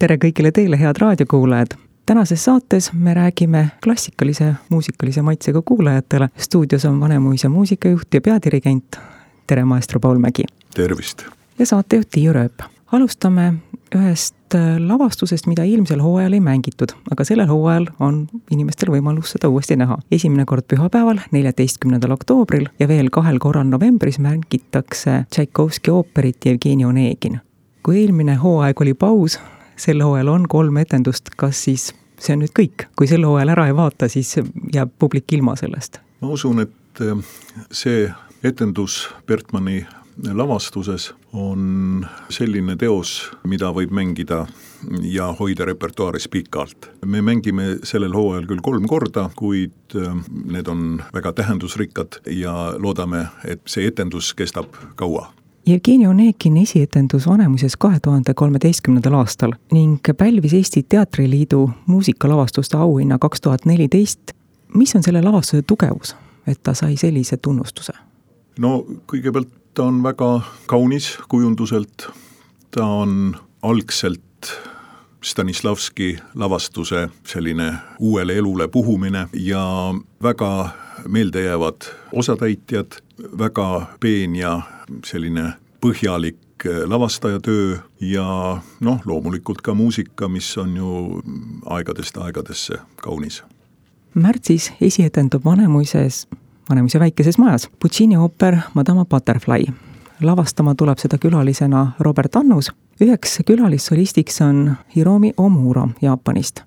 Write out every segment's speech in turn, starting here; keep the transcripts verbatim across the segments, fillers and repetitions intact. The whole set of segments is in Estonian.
tere kõigile teile, head raadiokuulajad! Tänases saates me räägime klassikalise muusikalise maitsega kuulajatele. Stuudios on Vanemuise muusikajuht ja peadirigent. Tere, maestro Paul Mägi! Tervist! Ja saatejuht Tiiu Rööp. Alustame ühest lavastusest, mida eelmisel hooajal ei mängitud, aga sellel hooajal on inimestel võimalus seda uuesti näha. Esimene kord pühapäeval, neljateistkümnendal oktoobril ja veel kahel korral novembris mängitakse Tšaikovski ooperit Jevgeni Onegin. Kui eelmine hooaeg oli paus, sel hooajal on kolm etendust, kas siis see on nüüd kõik? Kui sel hooajal ära ei vaata, siis jääb publik ilma sellest. Ma usun, et see etendus Bertmanni lavastuses on selline teos, mida võib mängida ja hoida repertuaaris pikalt. Me mängime sellel hooajal küll kolm korda, kuid need on väga tähendusrikkad ja loodame, et see etendus kestab kaua. Jevgeni Onegin esietendus Vanemuises kahe tuhande kolmeteistkümnendal aastal ning pälvis Eesti Teatriliidu muusikalavastuste auhinna kaks tuhat neliteist. Mis on selle lavastuse tugevus, et ta sai sellise tunnustuse? No kõigepealt ta on väga kaunis kujunduselt. Ta on algselt Stanislavski lavastuse selline uuele elule puhumine ja väga meeldejäävad osatäitjad, väga peen ja selline põhjalik lavastajatöö ja noh, loomulikult ka muusika, mis on ju aegadest aegadesse kaunis. Märtsis esietendub Vanemuises Vanemuise väikeses majas Puccini ooper Madama Butterfly. Lavastama tuleb seda külalisena Robert Annus. Üheks külalissolistiks on Hiromi Omura Jaapanist.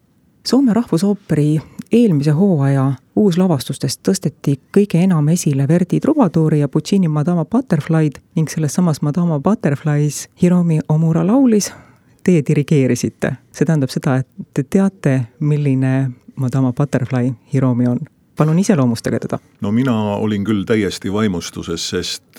Soome rahvusooperi eelmise hooaja uuslavastustest tõsteti kõige enam esile Verdi Troubadouri ja Puccini Madama Butterfly'd ning selles samas Madama Butterfly's Hiromi Omura laulis, teie dirigeerisite. See tähendab seda, et te teate, milline Madama Butterfly Hiromi on. Palun iseloomustage teda. No mina olin küll täiesti vaimustuses, sest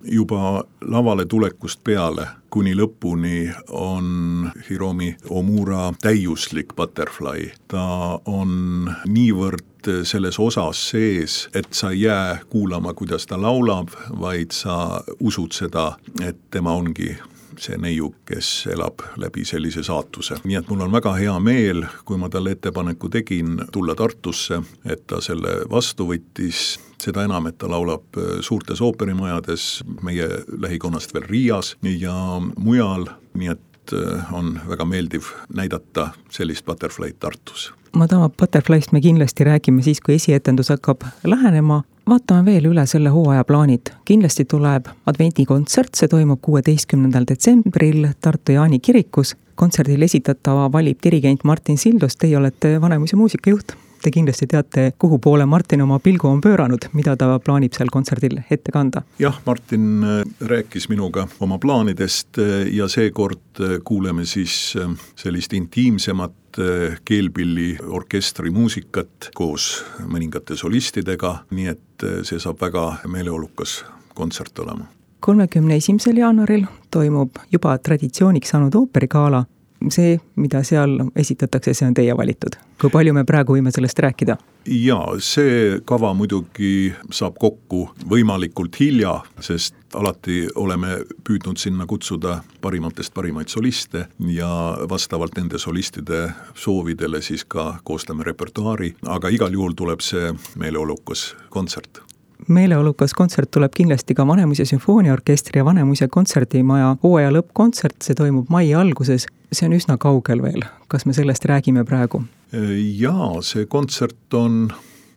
juba lavale tulekust peale kuni lõpuni on Hiromi Omura täiuslik Butterfly. Ta on niivõrd selles osas sees, et sa ei jää kuulama, kuidas ta laulab, vaid sa usud seda, et tema ongi see neiu, kes elab läbi sellise saatuse. Nii et mul on väga hea meel, kui ma talle ettepaneku tegin tulla Tartusse, et ta selle vastu võttis, seda enam, et ta laulab suurtes ooperimajades, meie lähikonnast veel Riias ja mujal, nii et on väga meeldiv näidata sellist Butterfly'd Tartus. Madama Butterfly'st me kindlasti räägime siis, kui esietendus hakkab lähenema. Vaatame veel üle selle hooaja plaanid. Kindlasti tuleb adventikontsert, see toimub kuueteistkümnendal detsembril Tartu Jaani kirikus. Kontserdil esitatava valib dirigent Martin Sildus, teie olete Vanemuise muusikajuht. Te kindlasti teate, kuhu poole Martin oma pilgu on pööranud, mida ta plaanib seal kontserdil ette kanda. Jah, Martin rääkis minuga oma plaanidest ja seekord kuuleme siis sellist intiimsemat keelpilli orkestri muusikat koos mõningate solistidega, nii et see saab väga meeleolukas kontsert olema. kolmekümne esimesel jaanuaril toimub juba traditsiooniks saanud ooperikaala. See, mida seal esitatakse, see on teie valitud. Kui palju me praegu võime sellest rääkida? Jaa, see kava muidugi saab kokku võimalikult hilja, sest alati oleme püüdnud sinna kutsuda parimatest parimaid soliste ja vastavalt nende solistide soovidele siis ka koostame repertuaari, aga igal juhul tuleb see meeleolukas kontsert. Meeleolukas kontsert tuleb kindlasti ka Vanemuise sümfooniaorkestri ja Vanemuise kontserdimaja hooaja lõppkontsert, see toimub mai alguses. See on üsna kaugel veel. Kas me sellest räägime praegu? Jaa, see kontsert on,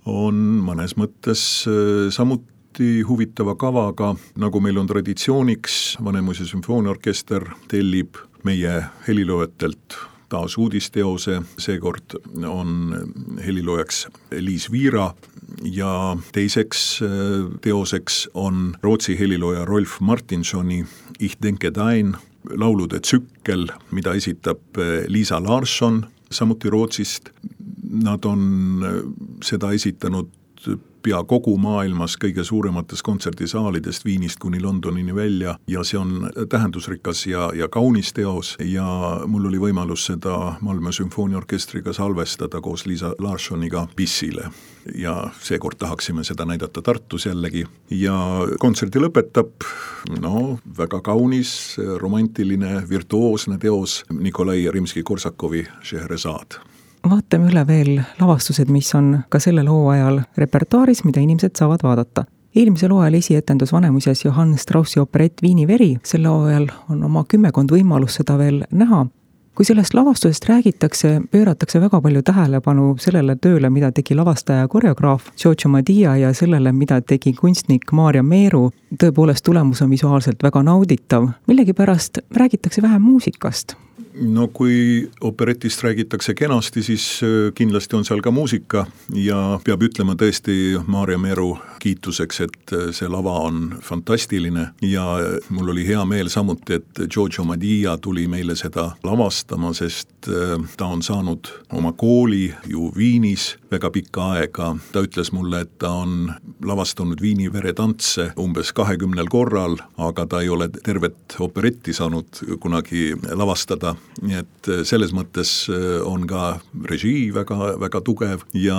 on mõnes mõttes samuti huvitava kavaga, nagu meil on traditsiooniks. Vanemuise sümfooniaorkester tellib meie heliloojatelt taas uudisteose, seekord on heliloojaks Liis Viira ja teiseks teoseks on Rootsi helilooja Rolf Martinsoni Ich denke dein laulude tsükkel, mida esitab Liisa Larsson, samuti Rootsist. Nad on seda esitanud pea kogu maailmas kõige suurematest kontserdisaalidest Viinist kuni Londonini välja ja see on tähendusrikas ja, ja kaunis teos ja mul oli võimalus seda Malmö sümfooniaorkestriga salvestada koos Liisa Larssoniga Bissile ja seekord tahaksime seda näidata Tartus jällegi ja kontserdi lõpetab no väga kaunis, romantiline, virtuoosne teos Nikolai Rimski-Korsakovi Scheherazade. Vaatame üle veel lavastused, mis on ka sellel hooajal repertuaaris, mida inimesed saavad vaadata. Eelmisel hooajal esietendus Vanemuises Johann Straussi operett Viini veri, selle hooajal on oma kümmekond võimalus seda veel näha. Kui sellest lavastusest räägitakse, pööratakse väga palju tähelepanu sellele tööle, mida tegi lavastaja koreograaf Giorgio Madia ja sellele, mida tegi kunstnik Maarja Meeru. Tõepoolest tulemus on visuaalselt väga nauditav. Millegipärast räägitakse vähem muusikast. No kui operetist räägitakse kenasti, siis kindlasti on seal ka muusika ja peab ütlema tõesti Maarja Meeru kiituseks, et see lava on fantastiline ja mul oli hea meel samuti, et Giorgio Madia tuli meile seda lavastama, sest ta on saanud oma kooli ju Viinis väga pikka aega. Ta ütles mulle, et ta on lavastanud Viini veretantse umbes kahekümnel korral, aga ta ei ole tervet operetti saanud kunagi lavastada. Nii et selles mõttes on ka režii väga, väga tugev ja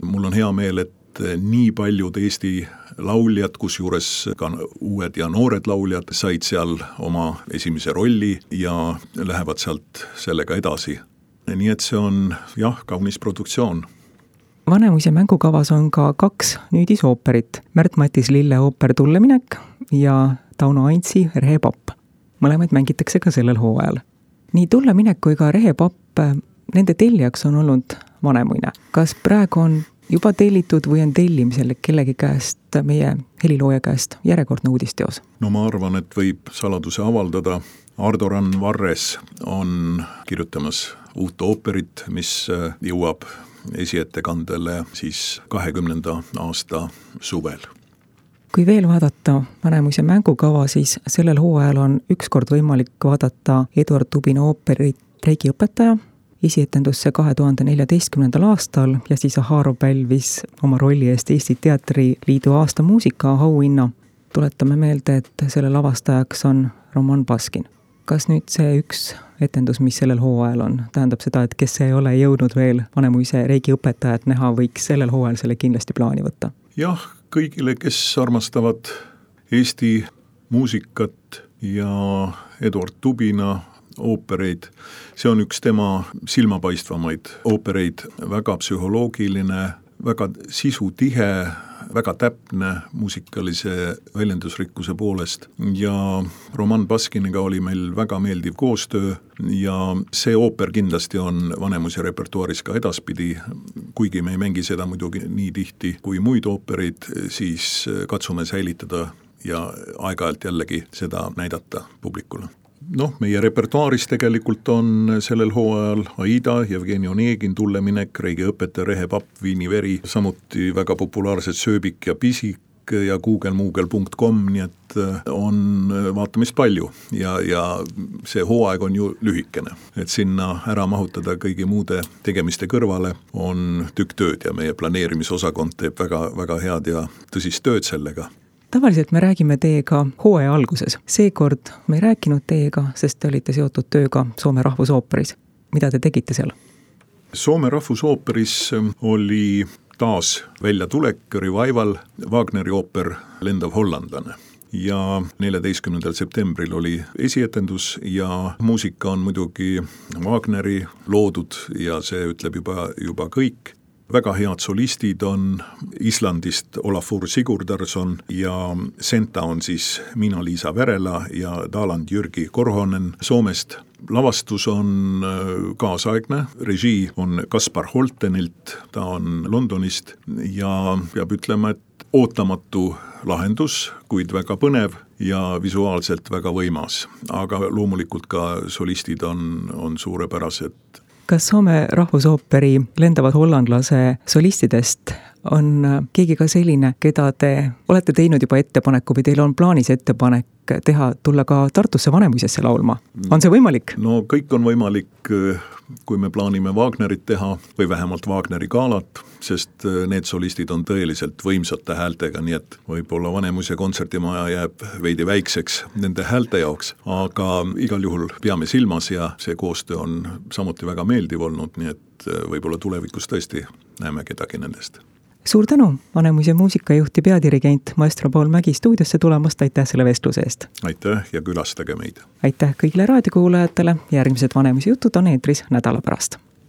mul on hea meel, et nii paljud Eesti lauljad, kusjuures ka uued ja noored lauljad said seal oma esimese rolli ja lähevad sealt sellega edasi. Nii et see on jah, kaunis produktsioon. Vanemuise mängukavas on ka kaks nüüdisooperit. Märt-Matis Lille ooper Tulleminek ja Tauno Aintsi Rehepapp. Mõlemaid mängitakse ka sellel hooajal. Nii Tulleminek kui ka Rehepapp, nende tellijaks on olnud Vanemuine. Kas praegu on juba tellitud või on tellimisel kellegi käest, meie helilooja käest järjekordne uudisteos? No ma arvan, et võib saladuse avaldada. Ardo Rann Varres on kirjutamas uut ooperit, mis jõuab esiettekandele siis kahekümnenda aasta suvel. Kui veel vaadata Vanemuise mängukava, siis sellel hooajal on ükskord võimalik vaadata Eduard Tubina ooperit Reigiõpetaja. Esietendusse kahe tuhande neljateistkümnendal aastal ja siis Zaharov pälvis oma rolli eest Eesti Teatriliidu aasta muusika auhinna. Tuletame meelde, et selle lavastajaks on Roman Baskin. Kas nüüd see üks etendus, mis sellel hooajal on, tähendab seda, et kes ei ole jõudnud veel Vanemuise Reigiõpetajat näha, võiks sellel hooajal selle kindlasti plaani võtta? Jah, kõigile, kes armastavad Eesti muusikat ja Eduard Tubina oopereid. See on üks tema silmapaistvamaid oopereid, väga psühholoogiline, väga sisutihe, väga täpne muusikalise väljendusrikkuse poolest ja Roman Baskiniga oli meil väga meeldiv koostöö ja see ooper kindlasti on Vanemuise repertuaaris ka edaspidi, kuigi me ei mängi seda muidugi nii tihti kui muid oopereid, siis katsume säilitada ja aeg-ajalt jällegi seda näidata publikule. Noh, meie repertuaaris tegelikult on sellel hooajal Aida, Jevgeni Onegin, Tulleminek, Reigiõpetaja, Rehepapp, Viini veri, samuti väga populaarsed Sööbik ja Pisik ja google-moogel punkt com, nii et on vaatamist palju ja, ja see hooaeg on ju lühikene. Et sinna ära mahutada kõigi muude tegemiste kõrvale on tükk tööd ja meie planeerimisosakond teeb väga, väga head ja tõsist tööd sellega. Tavaliselt me räägime teiega hooaja alguses. Seekord me ei rääkinud teiega, sest te olite seotud tööga Soome rahvusooperis. Mida te tegite seal? Soome rahvusooperis oli taas väljatulek, revival, Wagneri ooper Lendav hollandlane. Ja neljateistkümnendal septembril oli esietendus ja muusika on muidugi Wagneri loodud ja see ütleb juba, juba kõik. Väga head solistid on Islandist Olafur Sigurdarsson ja Senta on siis Miina-Liisa Verela ja Daland Jürgi Korhonen Soomest. Lavastus on kaasaegne, režii on Kaspar Holtenilt, ta on Londonist ja peab ütlema, et ootamatu lahendus, kuid väga põnev ja visuaalselt väga võimas, aga loomulikult ka solistid on, on suurepärased. Kas Soome rahvusooperi Lendavad hollandlase solistidest on keegi ka selline, keda te olete teinud juba ettepaneku või teil on plaanis ettepanek teha, tulla ka Tartusse Vanemuisesse laulma? On see võimalik? No kõik on võimalik. kui me plaanime Wagnerit teha või vähemalt Wagneri galat, sest need solistid on tõeliselt võimsate häältega, nii et võib-olla Vanemuise kontserdimaja jääb veidi väikseks nende häälte jaoks, aga igal juhul peame silmas ja see koostöö on samuti väga meeldiv olnud, nii et võib-olla tulevikus tõesti näeme kedagi nendest. Suur tänu, Vanemuise muusikajuht ja peadirigent maestro Paul Mägi stuudiosse tulemast, aitäh selle vestluse eest! Aitäh ja külastage meid! Aitäh kõigile raadiokuulajatele, järgmised Vanemuise jutud on eetris nädala pärast!